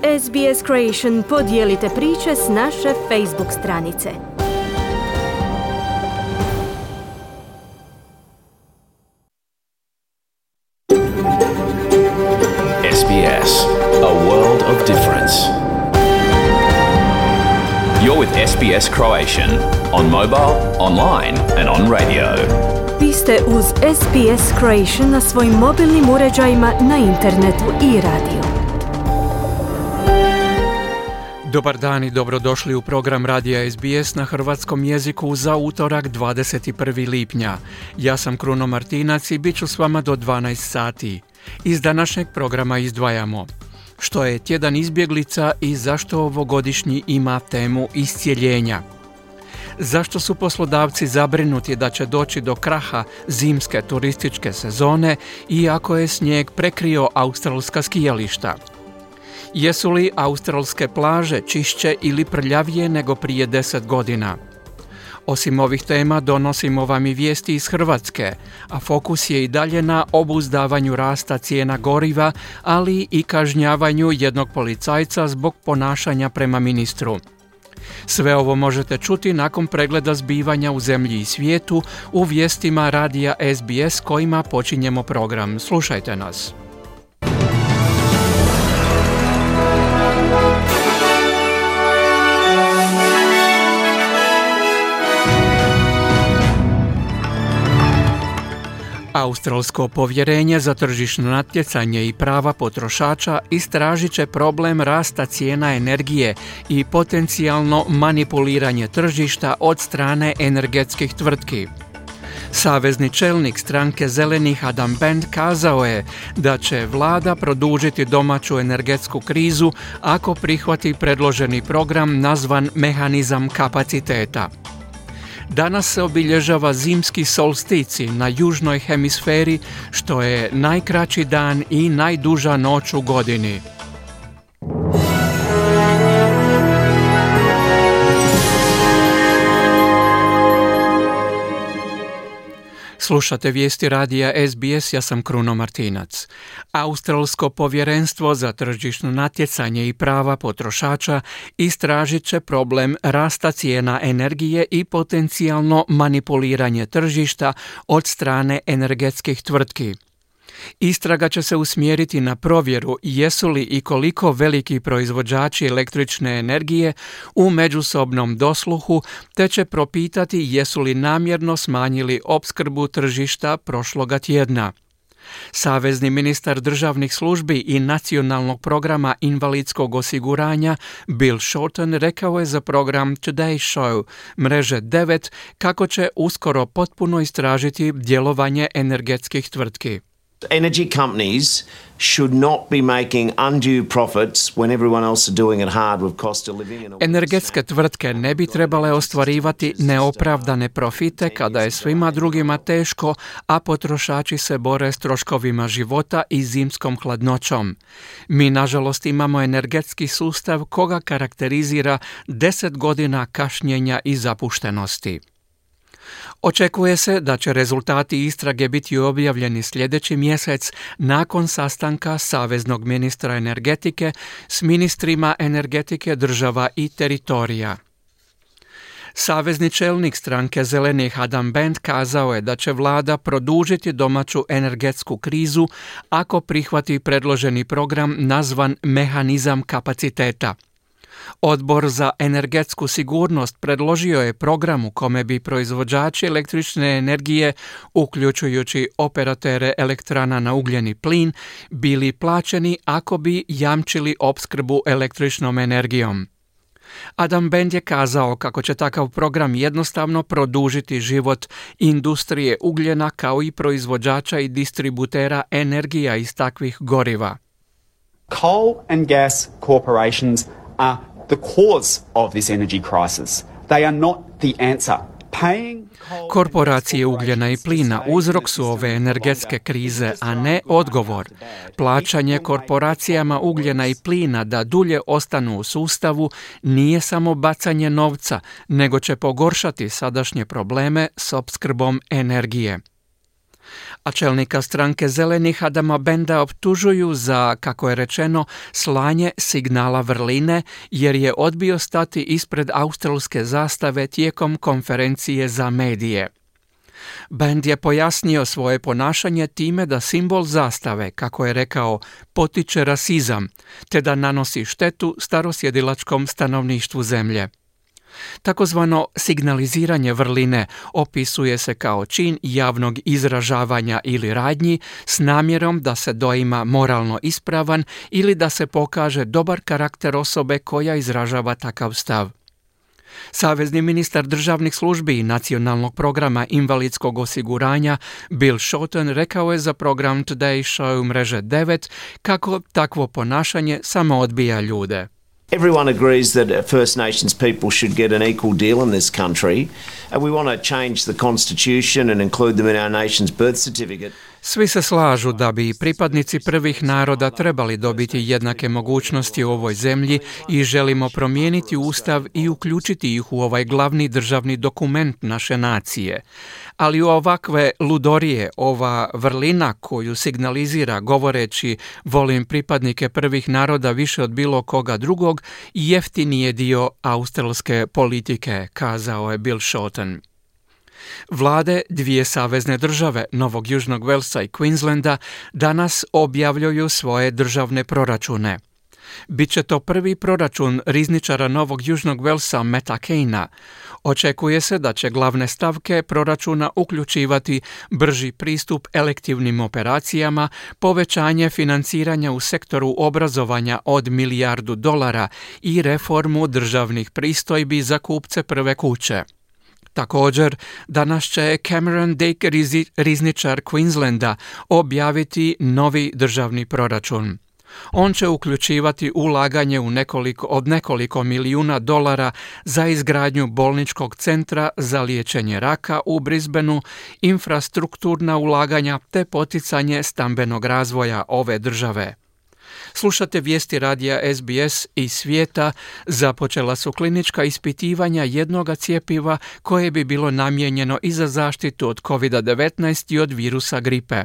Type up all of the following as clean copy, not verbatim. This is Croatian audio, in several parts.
SBS Creation podijelite priče s naše Facebook stranice. SBS, a world of difference. You're with SBS Croatian on mobile, online and on radio. Vi ste uz SBS Creation na svojim mobilnim uređajima, na internetu i radio. Dobar dan i dobrodošli u program radija SBS na hrvatskom jeziku za utorak 21. lipnja. Ja sam Kruno Martinac i bit ću s vama do 12 sati. Iz današnjeg programa izdvajamo što je tjedan izbjeglica i zašto ovogodišnji ima temu iscijeljenja. Zašto su poslodavci zabrinuti da će doći do kraha zimske turističke sezone iako je snijeg prekrio australska skijališta? Jesu li australske plaže čišće ili prljavije nego prije 10 godina? Osim ovih tema donosimo vam i vijesti iz Hrvatske, a fokus je i dalje na obuzdavanju rasta cijena goriva, ali i kažnjavanju jednog policajca zbog ponašanja prema ministru. Sve ovo možete čuti nakon pregleda zbivanja u zemlji i svijetu u vijestima radija SBS kojima počinjemo program. Slušajte nas. Australsko povjerenje za tržišno natjecanje i prava potrošača istražit će problem rasta cijena energije i potencijalno manipuliranje tržišta od strane energetskih tvrtki. Savezni čelnik stranke Zelenih Adam Band kazao je da će vlada produžiti domaću energetsku krizu ako prihvati predloženi program nazvan mehanizam kapaciteta. Danas se obilježava zimski solstici na južnoj hemisferi, što je najkraći dan i najduža noć u godini. Slušate vijesti radija SBS, ja sam Kruno Martinac. Australsko povjerenstvo za tržišno natjecanje i prava potrošača istražit će problem rasta cijena energije i potencijalno manipuliranje tržišta od strane energetskih tvrtki. Istraga će se usmjeriti na provjeru jesu li i koliko veliki proizvođači električne energije u međusobnom dosluhu, te će propitati jesu li namjerno smanjili opskrbu tržišta prošloga tjedna. Savezni ministar državnih službi i nacionalnog programa invalidskog osiguranja Bill Shorten rekao je za program Today Show mreže 9 kako će uskoro potpuno istražiti djelovanje energetskih tvrtki. Energy companies should not be making undue profits when everyone else is doing it hard with cost of living. Energetske tvrtke ne bi trebale ostvarivati neopravdane profite kada je svima drugima teško, a potrošači se bore s troškovima života i zimskom hladnoćom. Mi, nažalost, imamo energetski sustav koga karakterizira 10 godina kašnjenja i zapuštenosti. Očekuje se da će rezultati istrage biti objavljeni sljedeći mjesec nakon sastanka saveznog ministra energetike s ministrima energetike država i teritorija. Savezni čelnik stranke Zelenih Adam Band kazao je da će vlada produžiti domaću energetsku krizu ako prihvati predloženi program nazvan mehanizam kapaciteta. Odbor za energetsku sigurnost predložio je program u kome bi proizvođači električne energije, uključujući operatere elektrana na ugljeni plin, bili plaćeni ako bi jamčili opskrbu električnom energijom. Adam Band je kazao kako će takav program jednostavno produžiti život industrije ugljena kao i proizvođača i distributera energija iz takvih goriva. Coal and gas corporations are the cause of this energy crisis. They are not the answer. Korporacije ugljena i plina uzrok su ove energetske krize, a ne odgovor. Plaćanje korporacijama ugljena i plina da dulje ostanu u sustavu nije samo bacanje novca, nego će pogoršati sadašnje probleme s opskrbom energije. A čelnika stranke Zelenih Adama Benda optužuju za, kako je rečeno, slanje signala vrline jer je odbio stati ispred australske zastave tijekom konferencije za medije. Bend je pojasnio svoje ponašanje time da simbol zastave, kako je rekao, potiče rasizam, te da nanosi štetu starosjedilačkom stanovništvu zemlje. Takozvano signaliziranje vrline opisuje se kao čin javnog izražavanja ili radnji s namjerom da se doima moralno ispravan ili da se pokaže dobar karakter osobe koja izražava takav stav. Savezni ministar državnih službi i nacionalnog programa invalidskog osiguranja Bill Shorten rekao je za program Today Show mreže 9 kako takvo ponašanje samo odbija ljude. Everyone agrees that First Nations people should get an equal deal in this country, and we want to change the constitution and include them in our nation's birth certificate. Svi se slažu da bi pripadnici prvih naroda trebali dobiti jednake mogućnosti u ovoj zemlji i želimo promijeniti ustav i uključiti ih u ovaj glavni državni dokument naše nacije. Ali u ovakve ludorije, ova vrlina koju signalizira govoreći volim pripadnike prvih naroda više od bilo koga drugog, jeftini je dio australske politike, kazao je Bill Shorten. Vlade dvije savezne države, Novog Južnog Velsa i Queenslanda, danas objavljuju svoje državne proračune. Biće to prvi proračun rizničara Novog Južnog Velsa Matta Keina. Očekuje se da će glavne stavke proračuna uključivati brži pristup elektivnim operacijama, povećanje financiranja u sektoru obrazovanja od $1 milijardu i reformu državnih pristojbi za kupce prve kuće. Također, danas će Cameron Dick, rizničar Queenslanda, objaviti novi državni proračun. On će uključivati ulaganje u nekoliko milijuna dolara za izgradnju bolničkog centra za liječenje raka u Brisbaneu, infrastrukturna ulaganja te poticanje stambenog razvoja ove države. Slušate vijesti radija SBS iz svijeta. Započela su klinička ispitivanja jednoga cjepiva koje bi bilo namijenjeno i za zaštitu od COVID-19 i od virusa gripe.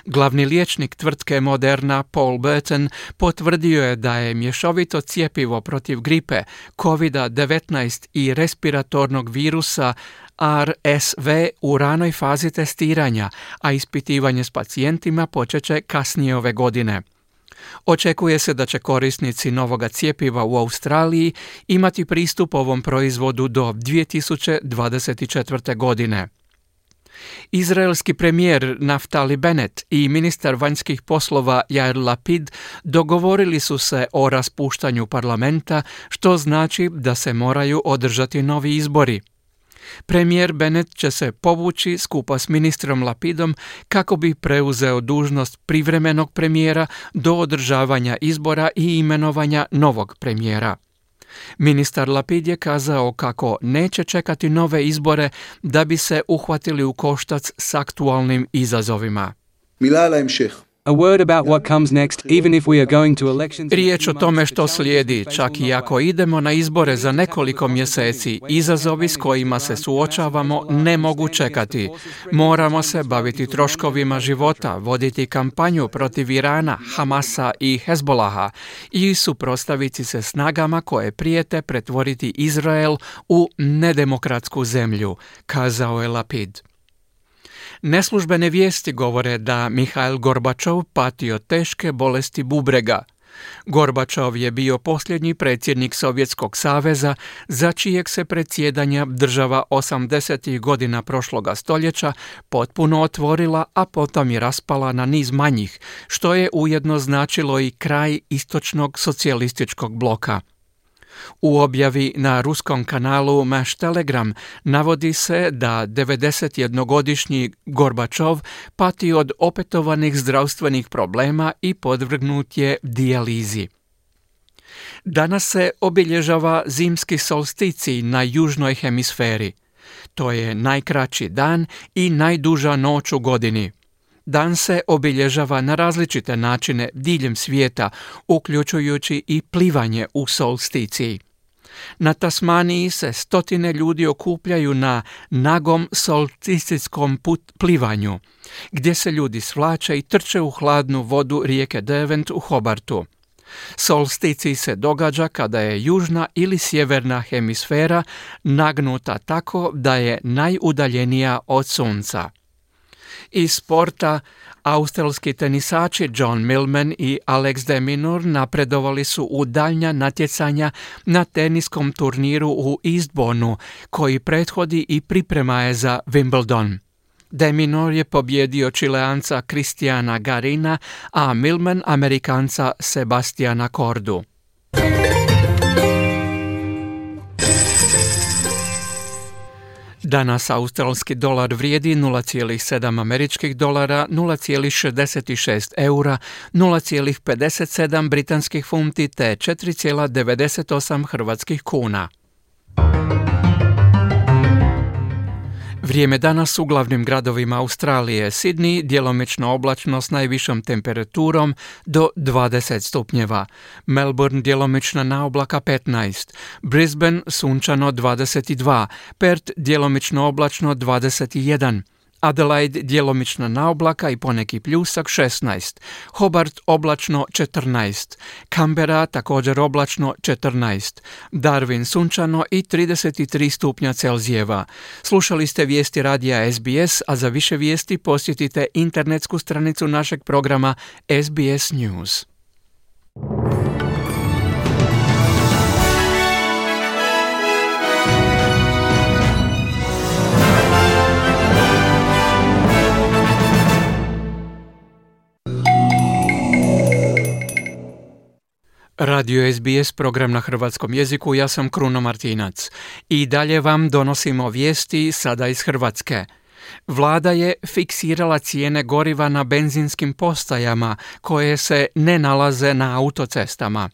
Glavni liječnik tvrtke Moderna, Paul Burton, potvrdio je da je mješovito cjepivo protiv gripe, COVID-19 i respiratornog virusa RSV u ranoj fazi testiranja, a ispitivanje s pacijentima počet će kasnije ove godine. Očekuje se da će korisnici novoga cjepiva u Australiji imati pristup ovom proizvodu do 2024. godine. Izraelski premijer Naftali Bennett i ministar vanjskih poslova Yair Lapid dogovorili su se o raspuštanju parlamenta, što znači da se moraju održati novi izbori. Premijer Bennett će se povući skupa s ministrom Lapidom kako bi preuzeo dužnost privremenog premijera do održavanja izbora i imenovanja novog premijera. Ministar Lapid je kazao kako neće čekati nove izbore da bi se uhvatili u koštac s aktualnim izazovima. A word about what comes next, even if we are going to elections. Riječ o tome što slijedi, čak i ako idemo na izbore za nekoliko mjeseci, izazovi s kojima se suočavamo ne mogu čekati. Moramo se baviti troškovima života, voditi kampanju protiv Irana, Hamasa i Hezbolaha i suprotstaviti se snagama koje prijete pretvoriti Izrael u nedemokratsku zemlju, kazao je Lapid. Neslužbene vijesti govore da Mihail Gorbačov pati od teške bolesti bubrega. Gorbačov je bio posljednji predsjednik Sovjetskog saveza za čijeg se predsjedanja država 80. godina prošloga stoljeća potpuno otvorila, a potom je raspala na niz manjih, što je ujedno značilo i kraj istočnog socijalističkog bloka. U objavi na ruskom kanalu Maš Telegram navodi se da 91-godišnji Gorbačov pati od opetovanih zdravstvenih problema i podvrgnut je dijalizi. Danas se obilježava zimski solsticij na južnoj hemisferi. To je najkraći dan i najduža noć u godini. Dan se obilježava na različite načine diljem svijeta, uključujući i plivanje u solsticiji. Na Tasmaniji se stotine ljudi okupljaju na nagom solsticijskom plivanju, gdje se ljudi svlače i trče u hladnu vodu rijeke Derwent u Hobartu. Solsticij se događa kada je južna ili sjeverna hemisfera nagnuta tako da je najudaljenija od sunca. Iz sporta, australski tenisači John Millman i Alex de Minaur napredovali su u daljnja natjecanja na teniskom turniru u Eastbournu, koji prethodi i priprema je za Wimbledon. De Minaur je pobjedio Čileanca Cristiana Garina, a Millman Amerikanca Sebastiana Kordu. Danas australski dolar vrijedi 0,7 američkih dolara, 0,66 eura, 0,57 britanskih funti te 4,98 hrvatskih kuna. Vrijeme danas u glavnim gradovima Australije: Sydney djelomično oblačno s najvišom temperaturom do 20 stupnjeva, Melbourne djelomična na oblaka 15, Brisbane sunčano 22, Perth djelomično oblačno 21, Adelaide djelomična na oblaka i poneki pljusak 16, Hobart oblačno 14, Canberra također oblačno 14, Darwin sunčano i 33 stupnja Celzijeva. Slušali ste vijesti radija SBS, a za više vijesti posjetite internetsku stranicu našeg programa SBS News. Radio SBS, program na hrvatskom jeziku, ja sam Kruno Martinac. I dalje vam donosimo vijesti sada iz Hrvatske. Vlada je fiksirala cijene goriva na benzinskim postajama koje se ne nalaze na autocestama.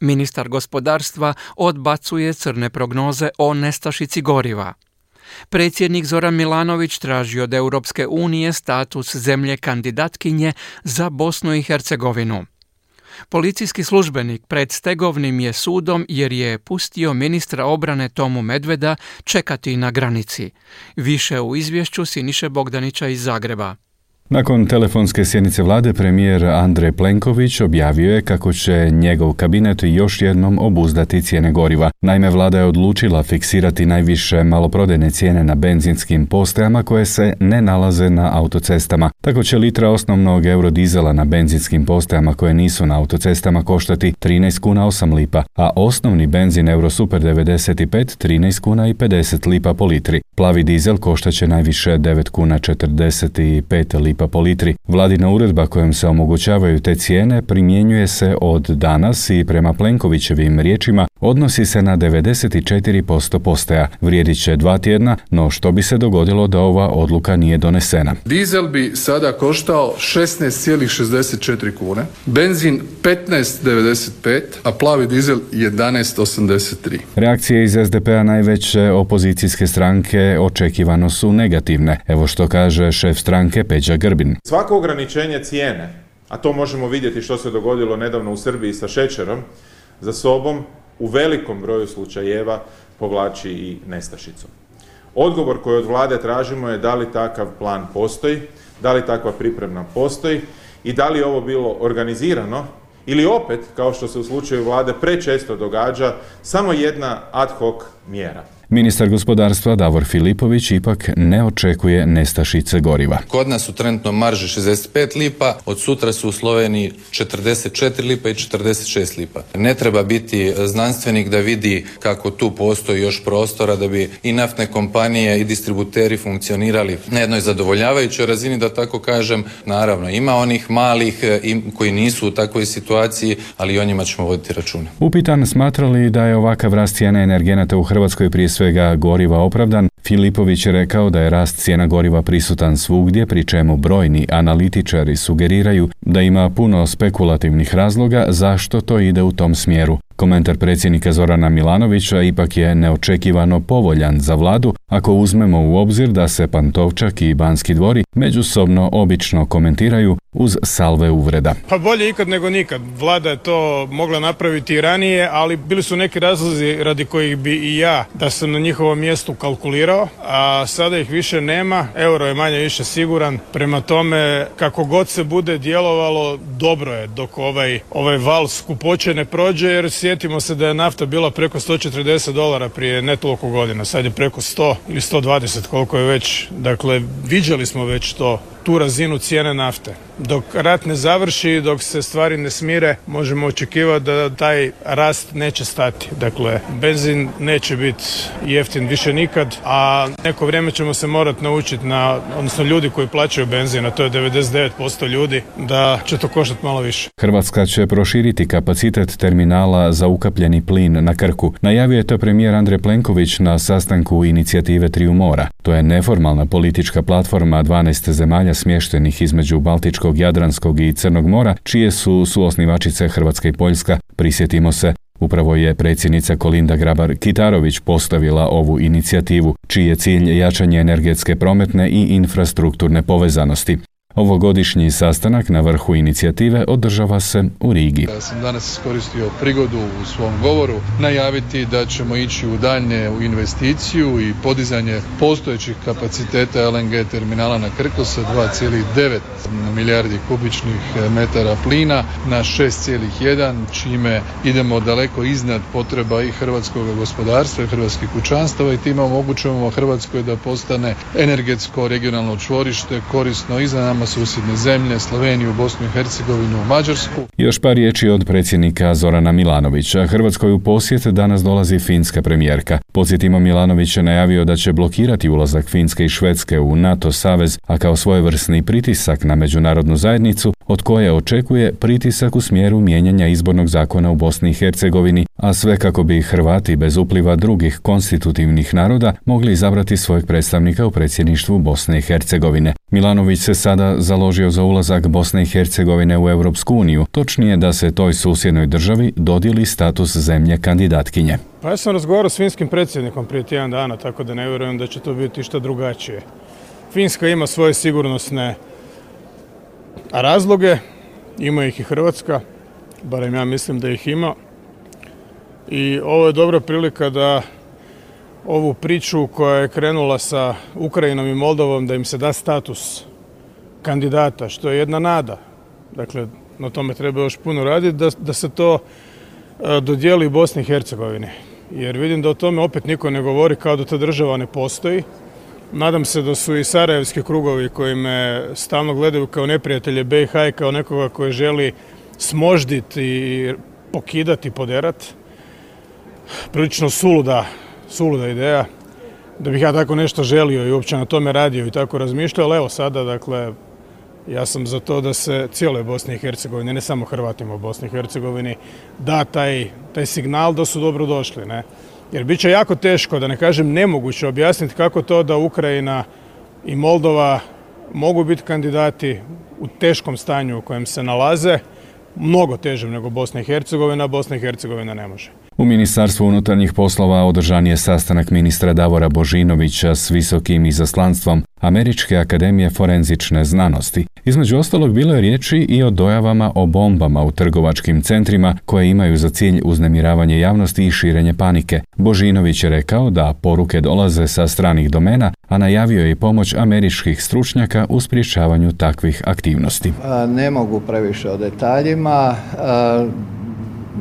Ministar gospodarstva odbacuje crne prognoze o nestašici goriva. Predsjednik Zoran Milanović traži od Europske unije status zemlje kandidatkinje za Bosnu i Hercegovinu. Policijski službenik pred stegovnim je sudom jer je pustio ministra obrane Tomu Medveda čekati na granici. Više u izvješću Siniše Bogdanića iz Zagreba. Nakon telefonske sjednice vlade, premijer Andrej Plenković objavio je kako će njegov kabinet još jednom obuzdati cijene goriva. Naime, vlada je odlučila fiksirati najviše maloprodajne cijene na benzinskim postajama koje se ne nalaze na autocestama. Tako će litra osnovnog eurodizela na benzinskim postajama koje nisu na autocestama koštati 13 kuna 8 lipa, a osnovni benzin Eurosuper 95 13 kuna i 50 lipa po litri. Plavi dizel koštaće najviše 9 kuna 45 lipa po litri. Vladina uredba kojom se omogućavaju te cijene primjenjuje se od danas i prema Plenkovićevim riječima odnosi se na 94% postaja. Vrijedit će 2 tjedna, no što bi se dogodilo da ova odluka nije donesena? Dizel bi sada koštao 16,64 kune, benzin 15,95, a plavi dizel 11,83. Reakcije iz SDP-a, najveće opozicijske stranke, očekivano su negativne. Evo što kaže šef stranke Peđa Grbin. Svako ograničenje cijene, a to možemo vidjeti što se dogodilo nedavno u Srbiji sa šećerom, za sobom u velikom broju slučajeva povlači i nestašicu. Odgovor koji od vlade tražimo je da li takav plan postoji, da li takva priprema postoji i da li je ovo bilo organizirano ili opet, kao što se u slučaju vlade prečesto događa, samo jedna ad hoc mjera. Ministar gospodarstva Davor Filipović ipak ne očekuje nestašice goriva. Kod nas su trenutno marže 65 lipa, od sutra su u Sloveniji 44 lipa i 46 lipa. Ne treba biti znanstvenik da vidi kako tu postoji još prostora da bi i naftne kompanije i distributeri funkcionirali na jednoj zadovoljavajućoj razini, da tako kažem. Naravno, ima onih malih koji nisu u takvoj situaciji, ali i o njima ćemo voditi računa. Upitan smatra li da je ovakav rast cijene energenata u Hrvatskoj prije svega goriva opravdan, Filipović je rekao da je rast cijena goriva prisutan svugdje, pri čemu brojni analitičari sugeriraju da ima puno spekulativnih razloga zašto to ide u tom smjeru. Komentar predsjednika Zorana Milanovića ipak je neočekivano povoljan za vladu, ako uzmemo u obzir da se Pantovčak i Banski dvori međusobno obično komentiraju uz salve uvreda. Pa bolje ikad nego nikad. Vlada je to mogla napraviti i ranije, ali bili su neki razlozi radi kojih bi i ja, da sam na njihovom mjestu kalkulirao, a sada ih više nema. Euro je manje više siguran. Prema tome, kako god se bude djelovalo, dobro je dok ovaj val skupoće ne prođe, jer sjetimo se da je nafta bila preko $140 prije ne toliko godina. Sad je preko 100 ili 120, koliko je već. Dakle, viđali smo već tu razinu cijene nafte. Dok rat ne završi, dok se stvari ne smire, možemo očekivati da taj rast neće stati. Dakle, benzin neće biti jeftin više nikad, a neko vrijeme ćemo se morati naučiti odnosno ljudi koji plaćaju benzin, a to je 99% ljudi, da će to koštati malo više. Hrvatska će proširiti kapacitet terminala za ukapljeni plin na Krku. Najavio je to premijer Andrej Plenković na sastanku inicijative Triju mora. To je neformalna politička platforma 12 zemalja smještenih između Baltičkog, Jadranskog i Crnog mora, čije su suosnivačice Hrvatska i Poljska. Prisjetimo se, upravo je predsjednica Kolinda Grabar-Kitarović postavila ovu inicijativu, čiji je cilj jačanje energetske, prometne i infrastrukturne povezanosti. Ovogodišnji sastanak na vrhu inicijative održava se u Rigi. Ja sam danas iskoristio prigodu u svom govoru najaviti da ćemo ići u daljnje investiciju i podizanje postojećih kapaciteta LNG terminala na Krku sa 2,9 milijardi kubičnih metara plina na 6,1, čime idemo daleko iznad potreba i hrvatskog gospodarstva i hrvatskih kućanstava i time omogućujemo Hrvatskoj da postane energetsko regionalno čvorište korisno i za nama susjedne zemlje, Sloveniju, Bosnu i Hercegovinu, Mađarsku. Još par riječi od predsjednika Zorana Milanovića. Hrvatskoj u posjet danas dolazi finska premijerka. Podsjetimo, Milanović je najavio da će blokirati ulazak Finske i Švedske u NATO savez, a kao svojevrsni pritisak na međunarodnu zajednicu, od koje očekuje pritisak u smjeru mijenjanja izbornog zakona u Bosni i Hercegovini, a sve kako bi Hrvati bez upliva drugih konstitutivnih naroda mogli izabrati svojeg predstavnika u predsjedništvu Bosne i Hercegovine. Milanović se sada založio za ulazak Bosne i Hercegovine u Europsku uniju, točnije da se toj susjednoj državi dodijeli status zemlje kandidatkinje. Pa ja sam razgovarao s finskim predsjednikom prije tjedan dana, tako da ne vjerujem da će to biti išta drugačije. Finska ima svoje sigurnosne razloge, ima ih i Hrvatska, barem ja mislim da ih ima. I ovo je dobra prilika da ovu priču koja je krenula sa Ukrajinom i Moldovom, da im se da status kandidata, što je jedna nada. Dakle, na tome treba još puno raditi, da se to dodijeli Bosni i Hercegovini. Jer vidim da o tome opet niko ne govori, kao da ta država ne postoji. Nadam se da su i sarajevski krugovi koji me stalno gledaju kao neprijatelje BiH i kao nekoga koji želi smožditi i pokidati, poderati. Prilično suluda ideja, da bih ja tako nešto želio i uopće na tome radio i tako razmišljao, ali evo sada, dakle, ja sam za to da se cijeloj Bosni i Hercegovini, ne samo Hrvatima u Bosni i Hercegovini, da taj signal da su dobro došli, ne? Jer bit će jako teško, da ne kažem nemoguće, objasniti kako to da Ukrajina i Moldova mogu biti kandidati u teškom stanju u kojem se nalaze, mnogo težem nego Bosna i Hercegovina, a Bosna i Hercegovina ne može. U Ministarstvu unutarnjih poslova održan je sastanak ministra Davora Božinovića s visokim izaslanstvom Američke akademije forenzične znanosti. Između ostalog bilo je riječi i o dojavama o bombama u trgovačkim centrima koje imaju za cilj uznemiravanje javnosti i širenje panike. Božinović je rekao da poruke dolaze sa stranih domena, a najavio je i pomoć američkih stručnjaka u sprječavanju takvih aktivnosti. Ne mogu previše o detaljima,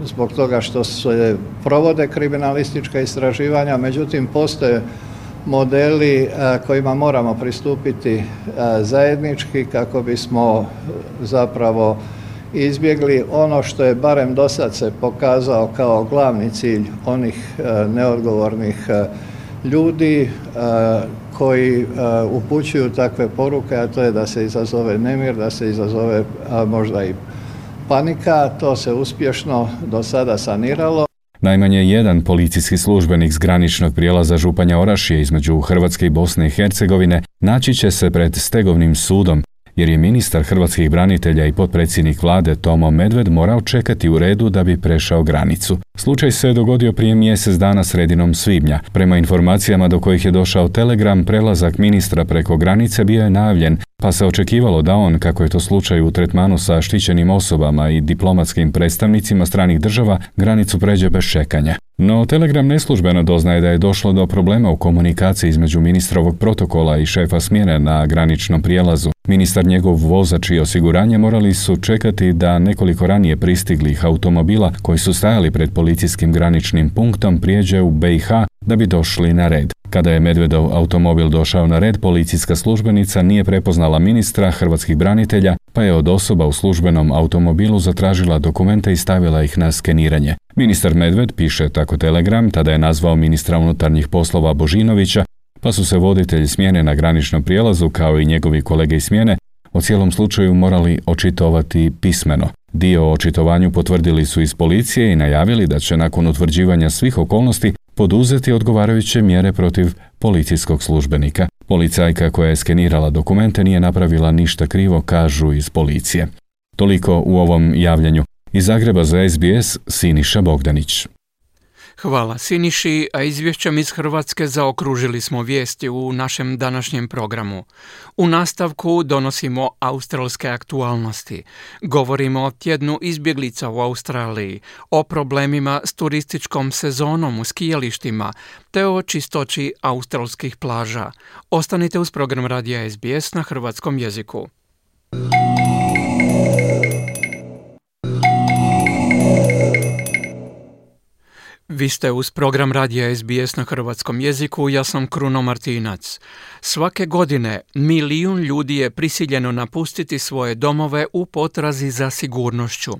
zbog toga što se provode kriminalistička istraživanja, međutim postoje modeli kojima moramo pristupiti zajednički kako bismo zapravo izbjegli ono što je barem do sad se pokazao kao glavni cilj onih neodgovornih ljudi koji upućuju takve poruke, a to je da se izazove nemir, da se izazove možda i panika. To se uspješno do sada saniralo. Najmanje jedan policijski službenik s graničnog prijelaza Županja Orašje između Hrvatske i Bosne i Hercegovine naći će se pred stegovnim sudom jer je ministar hrvatskih branitelja i potpredsjednik vlade Tomo Medved morao čekati u redu da bi prešao granicu. Slučaj se je dogodio prije mjesec dana sredinom svibnja. Prema informacijama do kojih je došao Telegram, prelazak ministra preko granice bio je najavljen, pa se očekivalo da on, kako je to slučaj u tretmanu sa štićenim osobama i diplomatskim predstavnicima stranih država, granicu pređe bez čekanja. No Telegram neslužbeno doznaje da je došlo do problema u komunikaciji između ministrovog protokola i šefa smjene na graničnom prijelazu. Ministar, njegov vozač i osiguranje morali su čekati da nekoliko ranije pristiglih automobila koji su stajali pred policijskim graničnim punktom prijeđe u BiH da bi došli na red. Kada je Medvedov automobil došao na red, policijska službenica nije prepoznala ministra hrvatskih branitelja, pa je od osoba u službenom automobilu zatražila dokumente i stavila ih na skeniranje. Ministar Medved, piše tako Telegram, tada je nazvao ministra unutarnjih poslova Božinovića, pa su se voditelji smjene na graničnom prijelazu, kao i njegovi kolege iz smjene, o cijelom slučaju morali očitovati pismeno. Dio o očitovanju potvrdili su iz policije i najavili da će nakon utvrđivanja svih okolnosti poduzeti odgovarajuće mjere protiv policijskog službenika. Policajka koja je skenirala dokumente nije napravila ništa krivo, kažu iz policije. Toliko u ovom javljanju. Iz Zagreba za SBS, Siniša Bogdanić. Hvala Siniši, a izvješćem iz Hrvatske zaokružili smo vijesti u našem današnjem programu. U nastavku donosimo australske aktualnosti. Govorimo o tjednu izbjeglica u Australiji, o problemima s turističkom sezonom u skijalištima, te o čistoći australskih plaža. Ostanite uz program radija SBS na hrvatskom jeziku. Vi ste uz program radija SBS na hrvatskom jeziku, ja sam Kruno Martinac. Svake godine 1 milijun ljudi je prisiljeno napustiti svoje domove u potrazi za sigurnošću.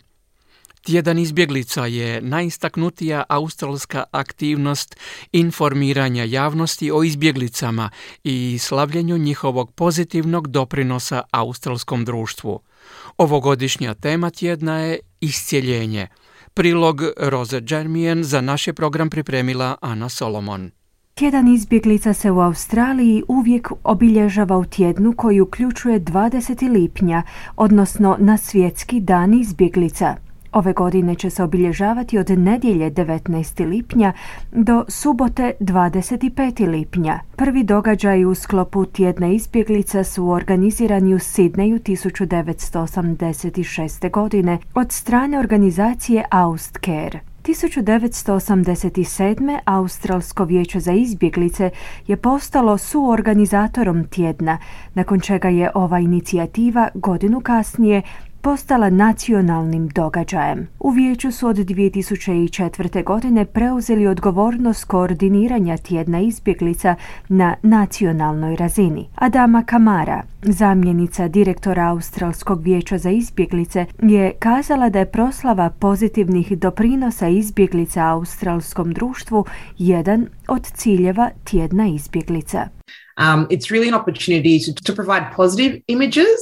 Tjedan izbjeglica je najistaknutija australska aktivnost informiranja javnosti o izbjeglicama i slavljenju njihovog pozitivnog doprinosa australskom društvu. Ovogodišnja tema tjedna je iscjeljenje. Prilog Roze Jermijan za naš je program pripremila Ana Solomon. Tjedan izbjeglica se u Australiji uvijek obilježava u tjednu koji uključuje 20. lipnja, odnosno na svjetski dan izbjeglica. Ove godine će se obilježavati od nedjelje 19. lipnja do subote 25. lipnja. Prvi događaji u sklopu tjedna izbjeglica su organizirani u Sidneju 1986. godine od strane organizacije AustCare. 1987. Australsko vijeće za izbjeglice je postalo suorganizatorom tjedna, nakon čega je ova inicijativa godinu kasnije postala nacionalnim događajem. U vijeću su od 2004. godine preuzeli odgovornost koordiniranja tjedna izbjeglica na nacionalnoj razini. Adama Kamara, zamjenica direktora Australskog vijeća za izbjeglice, je kazala da je proslava pozitivnih doprinosa izbjeglica australskom društvu jedan od ciljeva tjedna izbjeglica. It's really an opportunity to provide positive images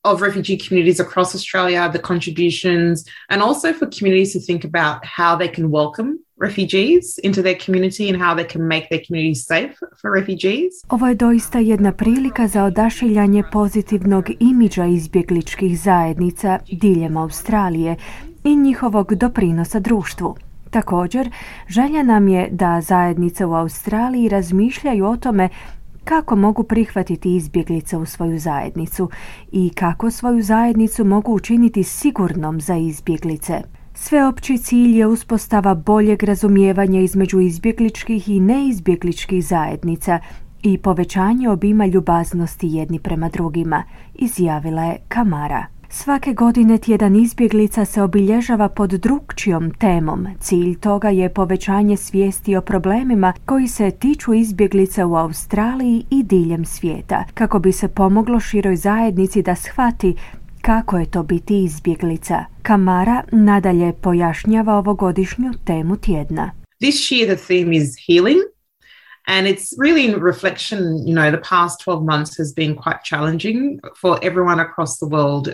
of refugee communities across Australia, the contributions, and also for communities to think about how they can welcome refugees into their community and how they can make their communities safe for refugees. Ovo je doista jedna prilika za odašiljanje pozitivnog imidža izbjegličkih zajednica diljem Australije i njihovog doprinosa društvu. Također, želja nam je da zajednice u Australiji razmišljaju o tome kako mogu prihvatiti izbjeglice u svoju zajednicu i kako svoju zajednicu mogu učiniti sigurnom za izbjeglice. Sveopći cilj je uspostava boljeg razumijevanja između izbjegličkih i neizbjegličkih zajednica i povećanje obima ljubaznosti jedni prema drugima, izjavila je Kamara. Svake godine tjedan izbjeglica se obilježava pod drukčijom temom. Cilj toga je povećanje svijesti o problemima koji se tiču izbjeglica u Australiji i diljem svijeta, kako bi se pomoglo široj zajednici da shvati kako je to biti izbjeglica. Kamara nadalje pojašnjava ovogodišnju temu tjedna. This year the theme is healing. And it's really in reflection, you know, the past 12 months has been quite challenging for everyone across the world.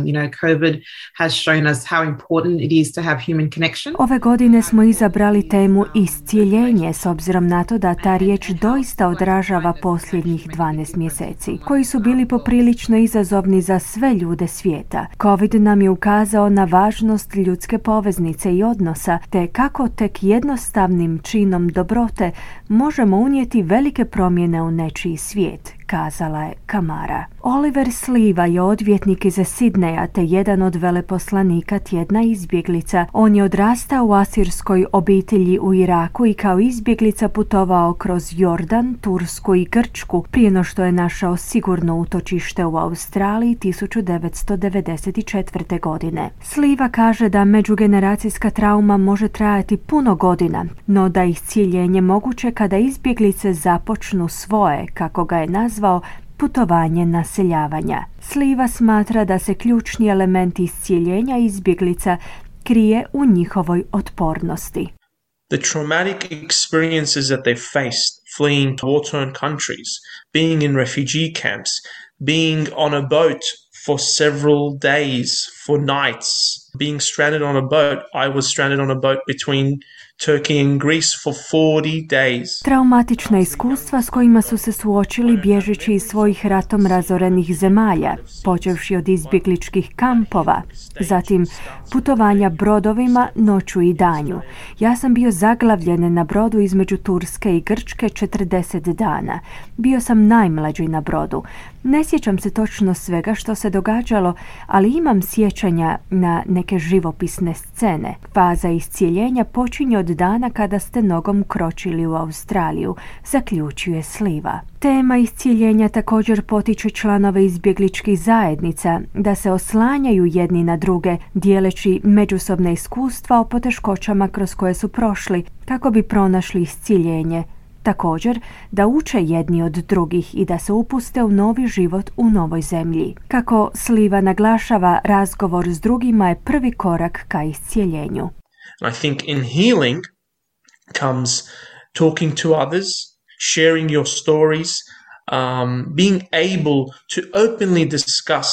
You know, COVID has shown us how important it is to have human connection. Ove godine smo izabrali temu iscijeljenje s obzirom na to da ta riječ doista odražava posljednjih 12 mjeseci, koji su bili poprilično izazovni za sve ljude svijeta. COVID nam je ukazao na važnost ljudske poveznice i odnosa, te kako tek jednostavnim činom dobrote možemo unijeti velike promjene u nečiji svijet, kazala je Kamara. Oliver Sliva je odvjetnik iz Sidneja te jedan od veleposlanika tjedna izbjeglica. On je odrastao u asirskoj obitelji u Iraku i kao izbjeglica putovao kroz Jordan, Tursku i Grčku prije no što je našao sigurno utočište u Australiji 1994. godine. Sliva kaže da međugeneracijska trauma može trajati puno godina, no da je iscijeljenje moguće kada izbjeglice započnu svoje, kako ga je nazvao, putovanje naseljavanja. Sliva smatra da se ključni element iscijeljenja izbjeglica krije u njihovoj otpornosti. The traumatic experiences that they faced fleeing to war-torn countries, being in refugee camps, being on a boat for several days, for nights, being stranded on a boat. I was stranded on a boat between Turkey and Greece for 40 days. Traumatična iskustva s kojima su se suočili bježeći iz svojih ratom razorenih zemalja, počevši od izbjegličkih kampova, zatim putovanja brodovima noću i danju. Ja sam bio zaglavljen na brodu između Turske i Grčke 40 dana. Bio sam najmlađi na brodu. Ne sjećam se točno svega što se događalo, ali imam sjećanja na neke živopisne scene. Faza iscijeljenja počinje od dana kada ste nogom kročili u Australiju, zaključuje Sliva. Tema iscijeljenja također potiče članove izbjegličkih zajednica da se oslanjaju jedni na druge, dijeleći međusobne iskustva o poteškoćama kroz koje su prošli, kako bi pronašli iscijeljenje. Također, da uče jedni od drugih i da se upuste u novi život u novoj zemlji. Kako Sliva naglašava, razgovor s drugima je prvi korak ka iscijeljenju. I think in healing comes talking to others, sharing your stories, being able to openly discuss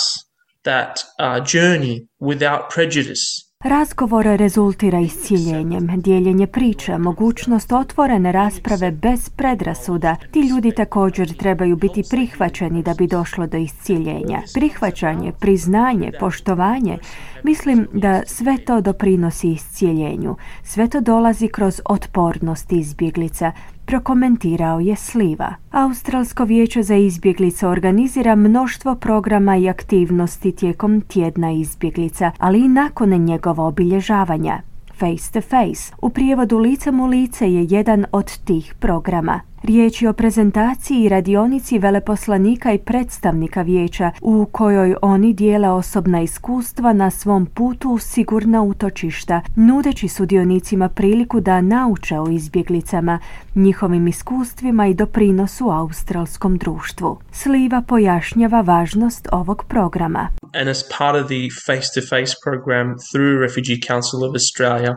that journey without prejudice. Razgovor rezultira iscijeljenjem, dijeljenje priča, mogućnost otvorene rasprave bez predrasuda. Ti ljudi također trebaju biti prihvaćeni da bi došlo do iscijeljenja. Prihvaćanje, priznanje, poštovanje, mislim da sve to doprinosi iscijeljenju. Sve to dolazi kroz otpornost izbjeglica, prokomentirao je Sliva. Australsko vijeće za izbjeglice organizira mnoštvo programa i aktivnosti tijekom tjedna izbjeglica, ali i nakon njegova obilježavanja. Face to Face, u prijevodu licem u lice, je jedan od tih programa. Riječ je o prezentaciji i radionici veleposlanika i predstavnika vijeća u kojoj oni dijele osobna iskustva na svom putu u sigurna utočišta, nudeći sudionicima priliku da nauče o izbjeglicama, njihovim iskustvima i doprinosu australskom društvu. Sliva pojašnjava važnost ovog programa. And as part of the face-to-face program through Refugee Council of Australia,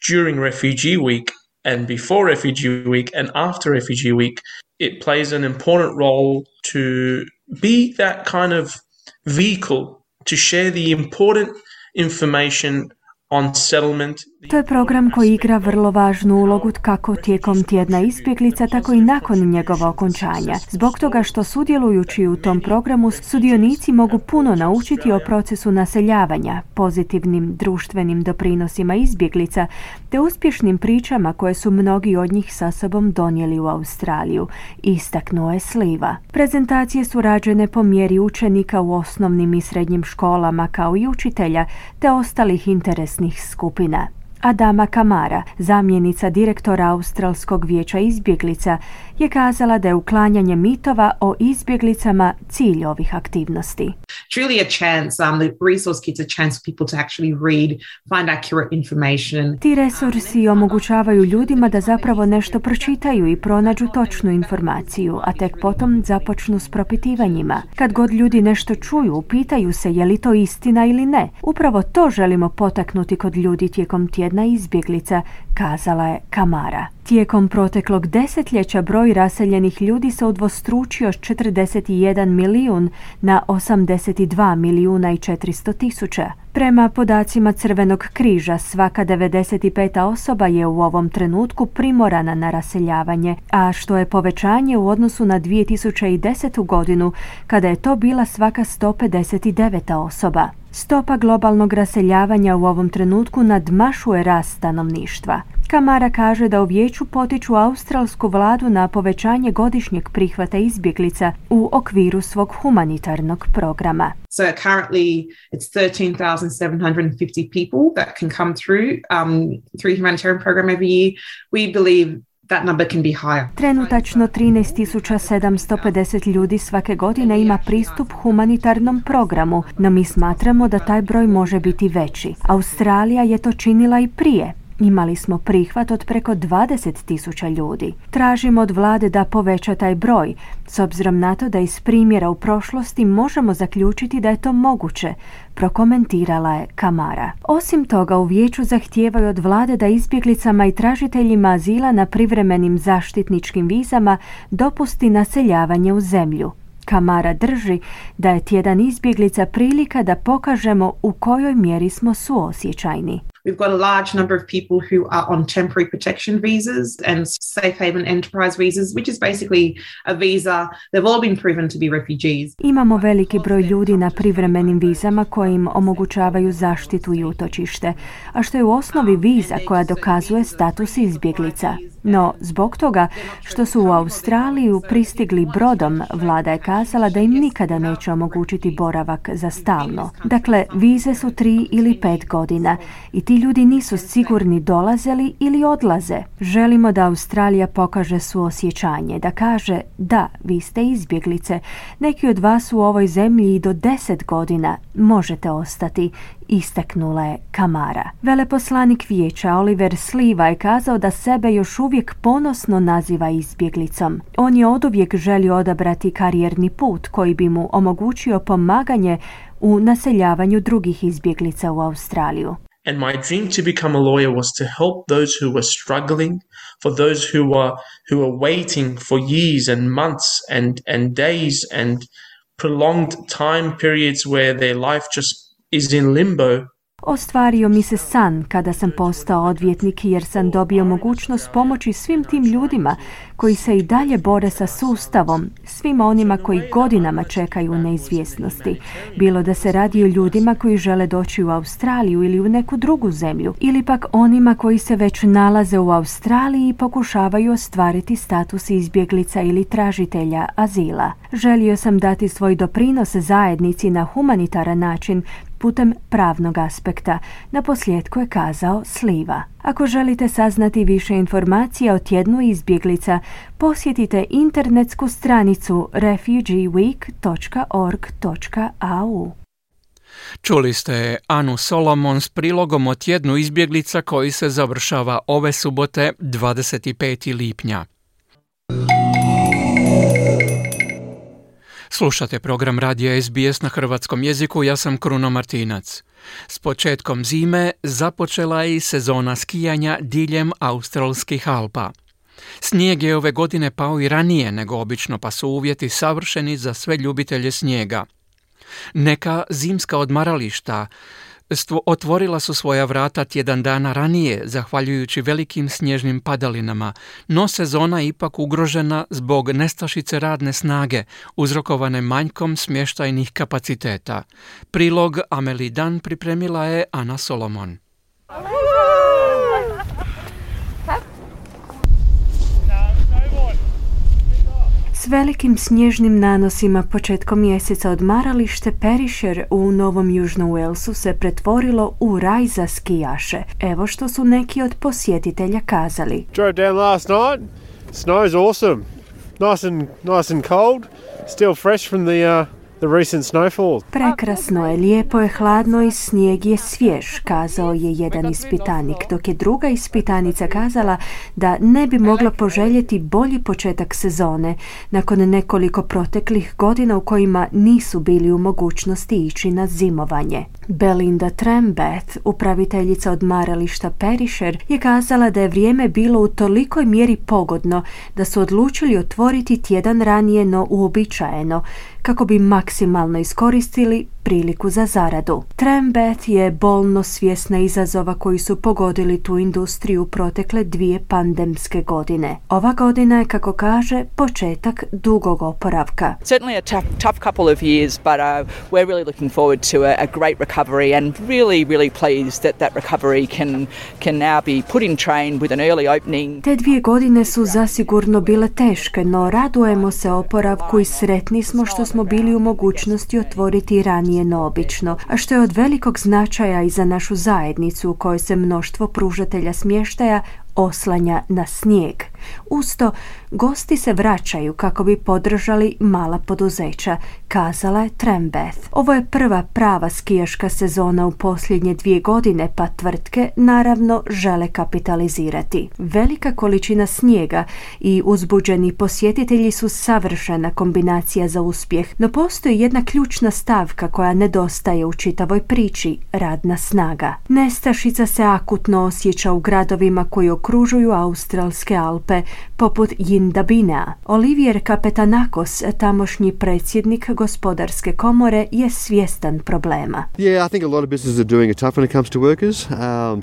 during Refugee Week, and before Refugee Week and after Refugee Week, it plays an important role to be that kind of vehicle to share the important information on settlement. To je program koji igra vrlo važnu ulogu kako tijekom tjedna izbjeglica, tako i nakon njegova okončanja. Zbog toga što sudjelujući u tom programu, sudionici mogu puno naučiti o procesu naseljavanja, pozitivnim društvenim doprinosima izbjeglica, te uspješnim pričama koje su mnogi od njih sa sobom donijeli u Australiju, istaknuo je Sliva. Prezentacije su rađene po mjeri učenika u osnovnim i srednjim školama, kao i učitelja, te ostalih interesnih skupina. Adama Kamara, zamjenica direktora Australskog vijeća izbjeglica, je kazala da je uklanjanje mitova o izbjeglicama cilj ovih aktivnosti. It's really a chance, the resource kits a chance for people to actually read, find accurate information. Ti resursi omogućavaju ljudima da zapravo nešto pročitaju i pronađu točnu informaciju, a tek potom započnu s propitivanjima. Kad god ljudi nešto čuju, pitaju se je li to istina ili ne. Upravo to želimo potaknuti kod ljudi tijekom tjedna izbjeglica, kazala je Kamara. Tijekom proteklog desetljeća broj raseljenih ljudi se udvostručio s 41 milijun na 82 milijuna i 400 tisuća. Prema podacima Crvenog križa, svaka 95. osoba je u ovom trenutku primorana na raseljavanje, a što je povećanje u odnosu na 2010. godinu, kada je to bila svaka 159. osoba. Stopa globalnog raseljavanja u ovom trenutku nadmašuje rast stanovništva. Camara kaže da u vijeću potiču australsku vladu na povećanje godišnjeg prihvata izbjeglica u okviru svog humanitarnog programa. So currently it's 13,750 people that can come through humanitarian program every year. We believe that number can be higher. Trenutačno 13.750 ljudi svake godine ima pristup humanitarnom programu, no mi smatramo da taj broj može biti veći. Australija je to činila i prije. Imali smo prihvat od preko 20.000 ljudi. Tražimo od vlade da poveća taj broj, s obzirom na to da iz primjera u prošlosti možemo zaključiti da je to moguće, prokomentirala je Camara. Osim toga, u vijeću zahtijevaju od vlade da izbjeglicama i tražiteljima azila na privremenim zaštitničkim vizama dopusti naseljavanje u zemlju. Camara drži da je tjedan izbjeglica prilika da pokažemo u kojoj mjeri smo suosjećajni. We've got a large number of people who are on temporary protection visas and safe haven enterprise visas, which is basically a visa. They've all been proven to be refugees. Imamo veliki broj ljudi na privremenim vizama koji im omogućavaju zaštitu i utočište, a što je u osnovi viza koja dokazuje status izbjeglica. No, zbog toga što su u Australiju pristigli brodom, vlada je kazala da im nikada neće omogućiti boravak za stalno. Dakle, vize su 3 ili 5 godina i ti ljudi nisu sigurni dolaze li ili odlaze. Želimo da Australija pokaže suosjećanje, da kaže da, vi ste izbjeglice, neki od vas u ovoj zemlji i do 10 godina možete ostati, istaknula je Camara. Veleposlanik vijeća Oliver Sliva je kazao da sebe još uvijek ponosno naziva izbjeglicom. On je oduvijek želio odabrati karijerni put koji bi mu omogućio pomaganje u naseljavanju drugih izbjeglica u Australiju. And my dream to become a lawyer was to help those who were struggling, for those who were waiting for years and months and days and prolonged time periods where their life just is in limbo. Ostvario mi se san kada sam postao odvjetnik jer sam dobio mogućnost pomoći svim tim ljudima koji se i dalje bore sa sustavom, svima onima koji godinama čekaju u neizvjesnosti. Bilo da se radi o ljudima koji žele doći u Australiju ili u neku drugu zemlju, ili pak onima koji se već nalaze u Australiji i pokušavaju ostvariti status izbjeglica ili tražitelja azila. Želio sam dati svoj doprinos zajednici na humanitaran način, putem pravnog aspekta, naposljetku je kazao Sliva. Ako želite saznati više informacija o tjednu izbjeglica, posjetite internetsku stranicu refugeeweek.org.au. Čuli ste Anu Solomon s prilogom o tjednu izbjeglica koji se završava ove subote 25. lipnja. Slušate program radija SBS na hrvatskom jeziku, ja sam Kruno Martinac. S početkom zime započela je i sezona skijanja diljem australskih Alpa. Snijeg je ove godine pao i ranije nego obično, pa su uvjeti savršeni za sve ljubitelje snijega. Neka zimska odmarališta otvorila su svoja vrata tjedan dana ranije, zahvaljujući velikim snježnim padalinama, no sezona je ipak ugrožena zbog nestašice radne snage, uzrokovane manjkom smještajnih kapaciteta. Prilog Amelie Dan pripremila je Ana Solomon. S velikim snježnim nanosima početkom mjeseca odmaralište Perisher u Novom Južnom Walesu se pretvorilo u raj za skijaše. Evo što su neki od posjetitelja kazali. Drove down last night. Snow's awesome. Nice and cold. Still fresh from the recent snowfall. Prekrasno je, lijepo je, hladno i snijeg je svjež, kazao je jedan ispitanik, dok je druga ispitanica kazala da ne bi mogla poželjeti bolji početak sezone nakon nekoliko proteklih godina u kojima nisu bili u mogućnosti ići na zimovanje. Belinda Trembeth, upraviteljica odmarališta Perisher, je kazala da je vrijeme bilo u tolikoj mjeri pogodno da su odlučili otvoriti tjedan ranije no uobičajeno, kako bi maksimalno iskoristili priliku za zaradu. Trembeth je bolno svjesna izazova koji su pogodili tu industriju protekle 2 pandemske godine. Ova godina je, kako kaže, početak dugog oporavka. Certainly a tough couple of years, but we're really looking forward to a great recovery and really pleased that recovery can now be put in train with an early opening. Te 2 godine su zasigurno bile teške, no radujemo se oporavku i sretni smo što smo bili u mogućnosti otvoriti ranije no obično, a što je od velikog značaja i za našu zajednicu u kojoj se mnoštvo pružatelja smještaja oslanja na snijeg. Usto, gosti se vraćaju kako bi podržali mala poduzeća, kazala je Trembeth. Ovo je prva prava skijaška sezona u posljednje 2 godine, pa tvrtke naravno žele kapitalizirati. Velika količina snijega i uzbuđeni posjetitelji su savršena kombinacija za uspjeh, no postoji jedna ključna stavka koja nedostaje u čitavoj priči, radna snaga. Nestašica se akutno osjeća u gradovima koji okružuju australske Alpe, poput Yindabinea. Olivier Kapetanakos, tamošnji predsjednik gospodarske komore, je svjestan problema. Yeah, I think a lot of businesses are doing it tough when it comes to workers.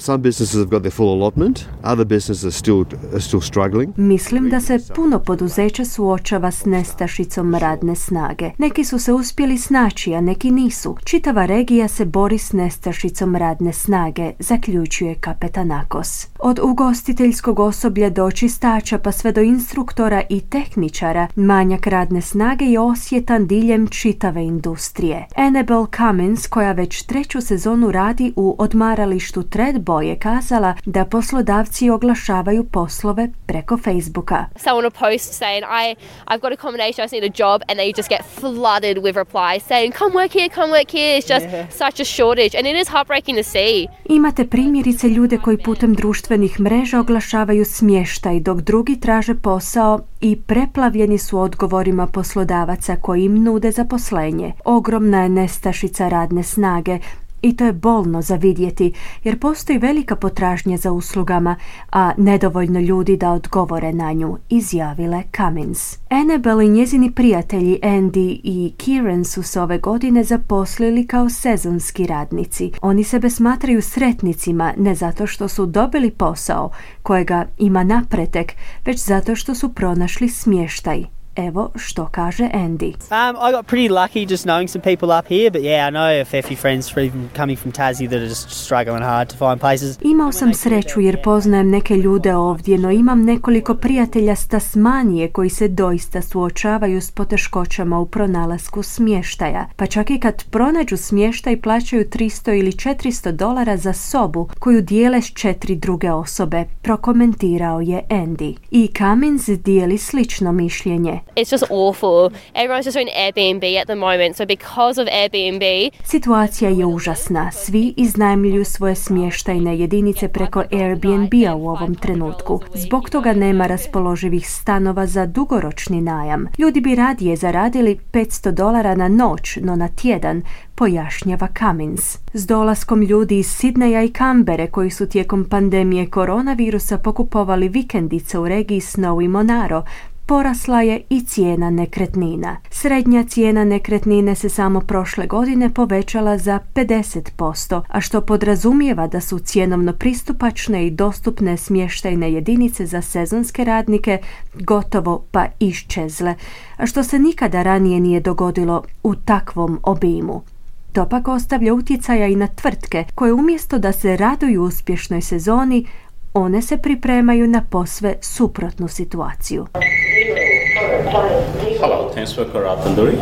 Some businesses have got their full allotment. Other businesses are still struggling. Mislim da se puno poduzeća suočava s nestašicom radne snage. Neki su se uspjeli snaći, a neki nisu. Čitava regija se bori s nestašicom radne snage, zaključuje Kapetanakos. Od ugostiteljskog osoblja do čistača pa sve do instruktora i tehničara, manjak radne snage je osjetan diljem čitave industrije. Annabel Cummins, koja već 3. sezonu radi u odmaralištu Thredbo, je kazala da poslodavci oglašavaju poslove preko Facebooka. Someone will post saying, I've got a combination, I just need a job, and they just get flooded with replies saying, come work here, it's just such a shortage, and it is heartbreaking to see. Imate primjerice ljude koji putem društvenih mreža oglašavaju smještaj, dok drugi traže posao i preplavljeni su odgovorima poslodavaca koji im nude zaposlenje. Ogromna je nestašica radne snage i to je bolno za vidjeti, jer postoji velika potražnja za uslugama, a nedovoljno ljudi da odgovore na nju, izjavile Cummins. Annabel i njezini prijatelji Andy i Kieran su se ove godine zaposlili kao sezonski radnici. Oni sebe smatraju sretnicima ne zato što su dobili posao kojega ima napretek, već zato što su pronašli smještaj. Evo što kaže Andy. I got pretty lucky just knowing some people up here, but yeah, I know a fair few friends coming from Tassie that are just struggling hard to find places. Imao sam sreću jer poznajem neke ljude ovdje, no imam nekoliko prijatelja s Tasmanije koji se doista suočavaju s poteškoćama u pronalasku smještaja. Pa čak i kad pronađu smještaj plaćaju $300 ili $400 za sobu koju dijele s 4 druge osobe, prokomentirao je Andy. I Cummins dijeli slično mišljenje. It's just awful. Everyone's just doing Airbnb at the moment, so because of Airbnb... Situacija je užasna. Svi iznajmljuju svoje smještajne jedinice preko Airbnb-a u ovom trenutku. Zbog toga nema raspoloživih stanova za dugoročni najam. Ljudi bi radije zaradili $500 na noć, no na tjedan, pojašnjava Cummins. S dolaskom ljudi iz Sidneja i Kambere koji su tijekom pandemije koronavirusa pokupovali vikendice u regiji Snow i Monaro, porasla je i cijena nekretnina. Srednja cijena nekretnine se samo prošle godine povećala za 50%, a što podrazumijeva da su cjenovno pristupačne i dostupne smještajne jedinice za sezonske radnike gotovo pa iščezle, a što se nikada ranije nije dogodilo u takvom obimu. To pak ostavlja utjecaja i na tvrtke koje umjesto da se raduju uspješnoj sezoni, one se pripremaju na posve suprotnu situaciju. Hello, thanks for Karatanduri.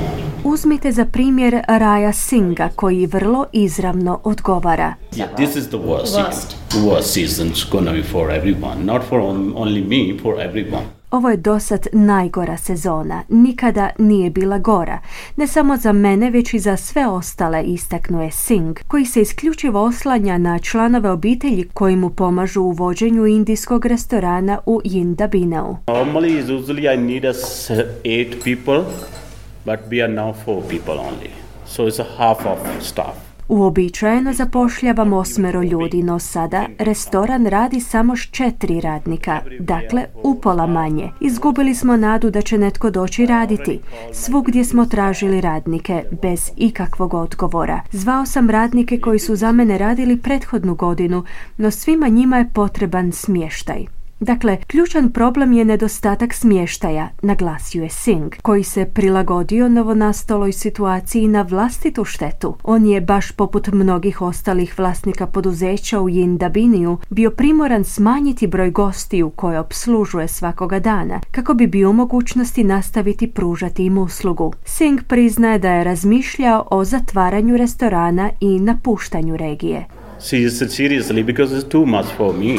Uzmite za primjer Raja Singa koji vrlo izravno odgovara. Yeah, this is the worst season. The worst season's gonna be for everyone, not for only me, for everyone. Ovo je dosad najgora sezona, nikada nije bila gora. Ne samo za mene, već i za sve ostale, istaknuje Singh, koji se isključivo oslanja na članove obitelji koji mu pomažu u vođenju indijskog restorana u Yindabineu. Normally, usually I need 8 people, but we are now 4 people only. So it's a half of staff. Uobičajeno zapošljavamo 8 ljudi, no sada restoran radi samo s 4 radnika, dakle upola manje. Izgubili smo nadu da će netko doći raditi. Svugdje smo tražili radnike, bez ikakvog odgovora. Zvao sam radnike koji su za mene radili prethodnu godinu, no svima njima je potreban smještaj. Dakle, ključan problem je nedostatak smještaja, naglasio je Singh, koji se prilagodio novonastaloj situaciji na vlastitu štetu. On je, baš poput mnogih ostalih vlasnika poduzeća u Yindabiniju, bio primoran smanjiti broj gostiju koje opslužuje svakoga dana, kako bi bio u mogućnosti nastaviti pružati im uslugu. Singh priznaje da je razmišljao o zatvaranju restorana i napuštanju regije. Seriously, because it's too much for me.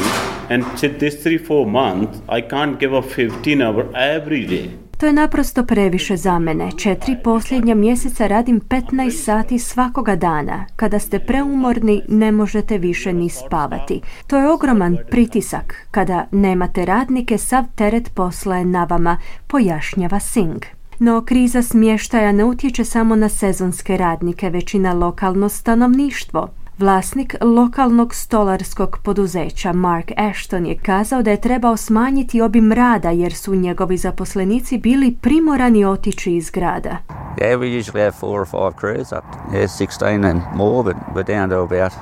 And this 3-4 months, I can't give a 15 hour every day. To je naprosto previše za mene. 4 posljednja mjeseca radim 15 sati svakoga dana. Kada ste preumorni, ne možete više ni spavati. To je ogroman pritisak. Kada nemate radnike, sav teret posla je na vama, pojašnjava Singh. No kriza smještaja ne utječe samo na sezonske radnike, već i na lokalno stanovništvo. Vlasnik lokalnog stolarskog poduzeća Mark Ashton je kazao da je trebao smanjiti obim rada jer su njegovi zaposlenici bili primorani otići iz grada. Yeah, we usually have 4 or 5 crews up. Yeah, 16 and more, but we're down to about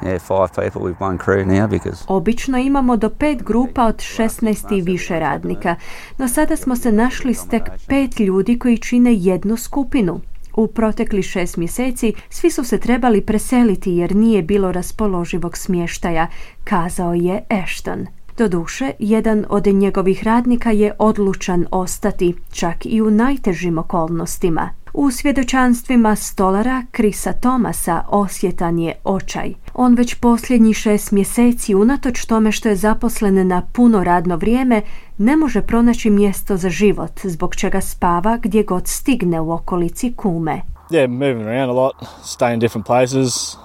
5 people with one crew now because... Obično imamo do 5 grupa od 16 i više radnika, no sada smo se našli s tek 5 ljudi koji čine jednu skupinu. U protekli 6 mjeseci svi su se trebali preseliti jer nije bilo raspoloživog smještaja, kazao je Ashton. Doduše, jedan od njegovih radnika je odlučan ostati, čak i u najtežim okolnostima. U svjedočanstvima stolara Chrisa Thomasa osjetan je očaj. On već posljednjih 6 mjeseci, unatoč tome što je zaposlen na puno radno vrijeme, ne može pronaći mjesto za život, zbog čega spava gdje god stigne u okolici kume. Yeah, moving around a lot, staying in different places.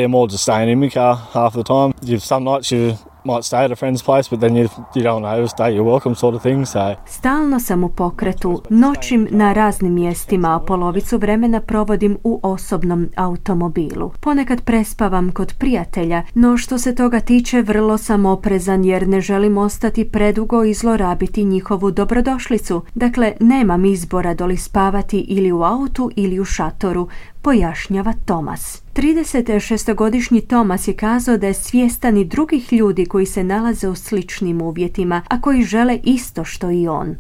More just staying in my car half the time. Some nights you might stay at a friend's place, but then you don't want to overstay your welcome sort of thing, so... Stalno sam u pokretu, noćim na raznim mjestima, a polovicu vremena provodim u osobnom automobilu. Ponekad prespavam kod prijatelja, no što se toga tiče vrlo sam oprezan jer ne želim ostati predugo i zlorabiti njihovu dobrodošlicu. Dakle, nemam izbora doli spavati ili u autu ili u šatoru, pojašnjava Thomas. 36-godišnji Thomas je kazao da je svjestan i drugih ljudi koji se nalaze u sličnim uvjetima, a koji žele isto što i on.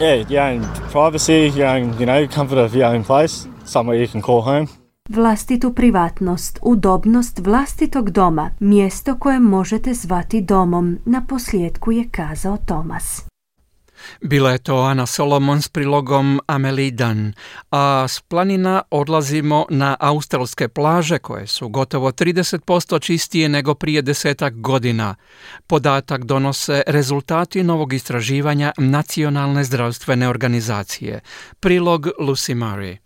Yeah, your own privacy, your own, comfort of your own place, somewhere you can call home. Vlastitu privatnost, udobnost vlastitog doma, mjesto koje možete zvati domom, na posljedku je kazao Thomas. Bila je to Ana Solomon s prilogom Amelie Dunn, a s planina odlazimo na australske plaže koje su gotovo 30% čistije nego prije 10 godina. Podatak donose rezultati novog istraživanja Nacionalne zdravstvene organizacije. Prilog Lucy Murray.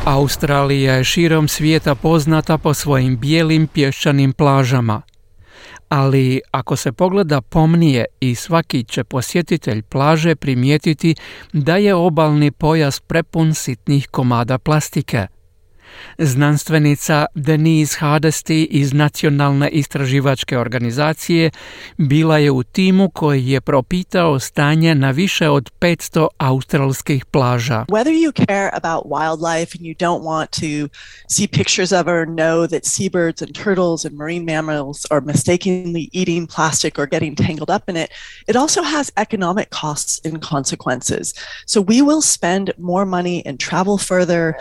Australija je širom svijeta poznata po svojim bijelim pješčanim plažama. Ali ako se pogleda pomnije i svaki će posjetitelj plaže primijetiti da je obalni pojas prepun sitnih komada plastike. Znanstvenica Denise Hardesty iz Nacionalne istraživačke organizacije bila je u timu koji je propitao stanje na više od 500 australskih plaža. Whether you care about wildlife and you don't want to see pictures of or know that seabirds and turtles and marine mammals are mistakenly eating plastic or getting tangled up in it, it also has economic costs and consequences. So we will spend more money and travel further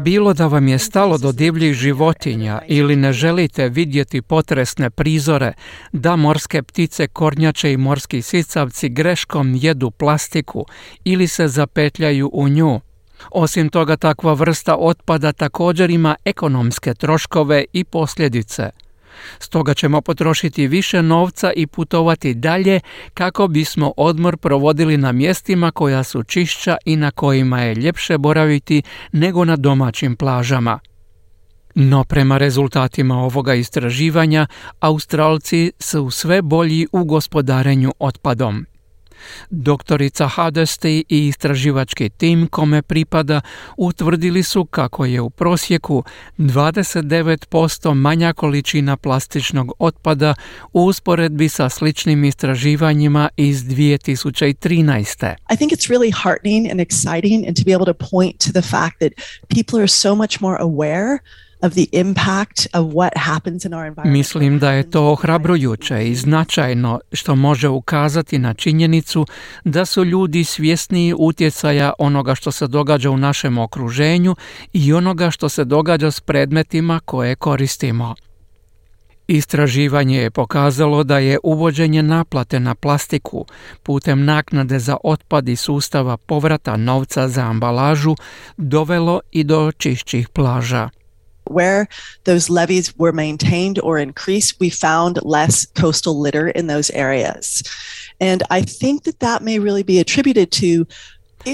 Bilo da vam je stalo do divljih životinja ili ne želite vidjeti potresne prizore, da morske ptice, kornjače i morski sisavci greškom jedu plastiku ili se zapetljaju u nju. Osim toga, takva vrsta otpada također ima ekonomske troškove i posljedice. Stoga ćemo potrošiti više novca i putovati dalje kako bismo odmor provodili na mjestima koja su čišća i na kojima je ljepše boraviti nego na domaćim plažama. No prema rezultatima ovoga istraživanja, Australci su sve bolji u gospodarenju otpadom. Doktorica Hardesty i istraživački tim kome pripada utvrdili su kako je u prosjeku 29% manja količina plastičnog otpada u usporedbi sa sličnim istraživanjima iz 2013. I think it's really heartening and exciting and to be able to point to the fact that people are so much more aware of the impact of what happens in our environment. Mislim da je to ohrabrujuće i značajno što može ukazati na činjenicu da su ljudi svjesniji utjecaja onoga što se događa u našem okruženju i onoga što se događa s predmetima koje koristimo. Istraživanje je pokazalo da je uvođenje naplate na plastiku putem naknade za otpad i sustava povrata novca za ambalažu dovelo i do čišćih plaža. Where those levees were maintained or increased, we found less coastal litter in those areas. And I think that may really be attributed to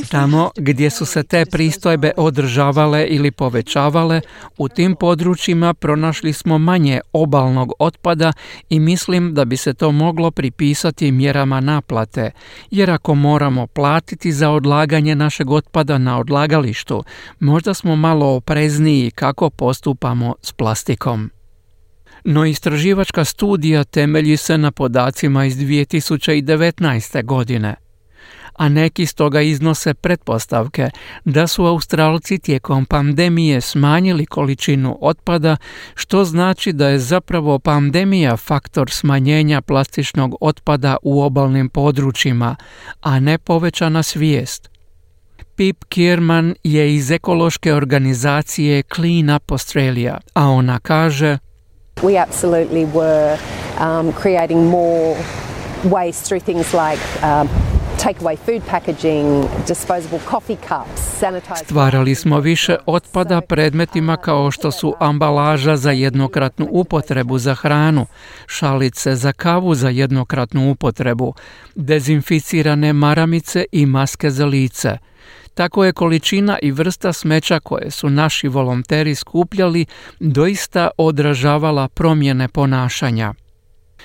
Tamo gdje su se te pristojbe održavale ili povećavale, u tim područjima pronašli smo manje obalnog otpada i mislim da bi se to moglo pripisati mjerama naplate, jer ako moramo platiti za odlaganje našeg otpada na odlagalištu, možda smo malo oprezniji kako postupamo s plastikom. No istraživačka studija temelji se na podacima iz 2019. godine. A neki stoga iznose pretpostavke da su Australci tijekom pandemije smanjili količinu otpada, što znači da je zapravo pandemija faktor smanjenja plastičnog otpada u obalnim područjima, a ne povećana svijest. Pip Kierman je iz ekološke organizacije Clean Up Australia, a ona kaže: We absolutely were creating more waste through things like takeaway food packaging, disposable coffee cups, sanitized. Stvarali smo više otpada predmetima kao što su ambalaža za jednokratnu upotrebu za hranu, šalice za kavu za jednokratnu upotrebu, dezinficirane maramice i maske za lice. Tako je količina i vrsta smeća koje su naši volonteri skupljali doista odražavala promjene ponašanja.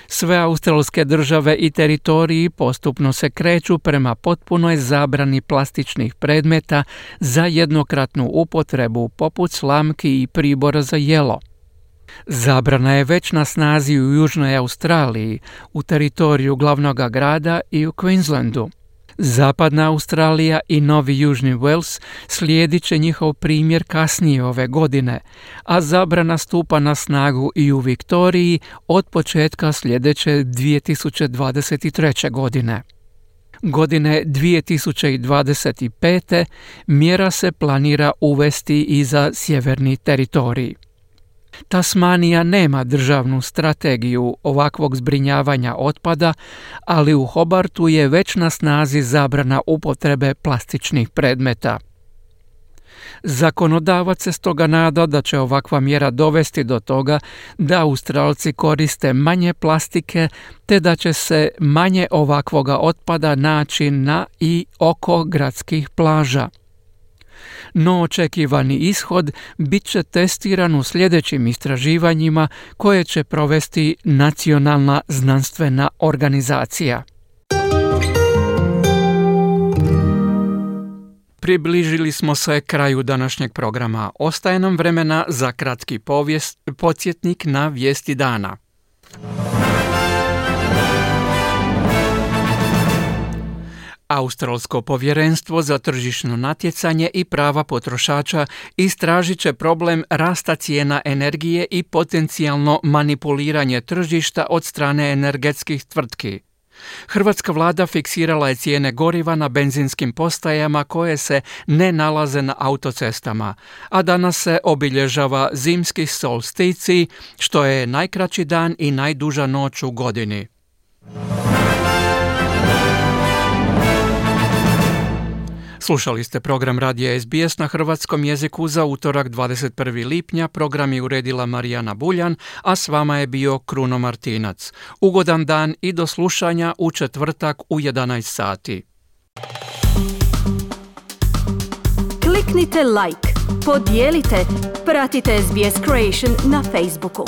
Sve australske države i teritoriji postupno se kreću prema potpunoj zabrani plastičnih predmeta za jednokratnu upotrebu poput slamki i pribora za jelo. Zabrana je već na snazi u Južnoj Australiji, u teritoriju glavnog grada i u Queenslandu. Zapadna Australija i Novi Južni Wales slijedit će njihov primjer kasnije ove godine, a zabrana stupa na snagu i u Viktoriji od početka sljedeće 2023. godine. Godine 2025. mjera se planira uvesti i za sjeverni teritorij. Tasmanija nema državnu strategiju ovakvog zbrinjavanja otpada, ali u Hobartu je već na snazi zabrana upotrebe plastičnih predmeta. Zakonodavac se stoga nada da će ovakva mjera dovesti do toga da Australci koriste manje plastike, te da će se manje ovakvoga otpada naći na i oko gradskih plaža. No očekivani ishod bit će testiran u sljedećim istraživanjima koje će provesti Nacionalna znanstvena organizacija. Približili smo se kraju današnjeg programa. Ostaje nam vremena za kratki podsjetnik na vijesti dana. Australsko povjerenstvo za tržišno natjecanje i prava potrošača istražit će problem rasta cijena energije i potencijalno manipuliranje tržišta od strane energetskih tvrtki. Hrvatska vlada fiksirala je cijene goriva na benzinskim postajama koje se ne nalaze na autocestama, a danas se obilježava zimski solsticij, što je najkraći dan i najduža noć u godini. Slušali ste program Radija SBS na hrvatskom jeziku za utorak 21. lipnja. Program je uredila Marijana Buljan, a s vama je bio Kruno Martinac. Ugodan dan i do slušanja u četvrtak u 11 sati. Kliknite like, podijelite, pratite SBS Creation na Facebooku.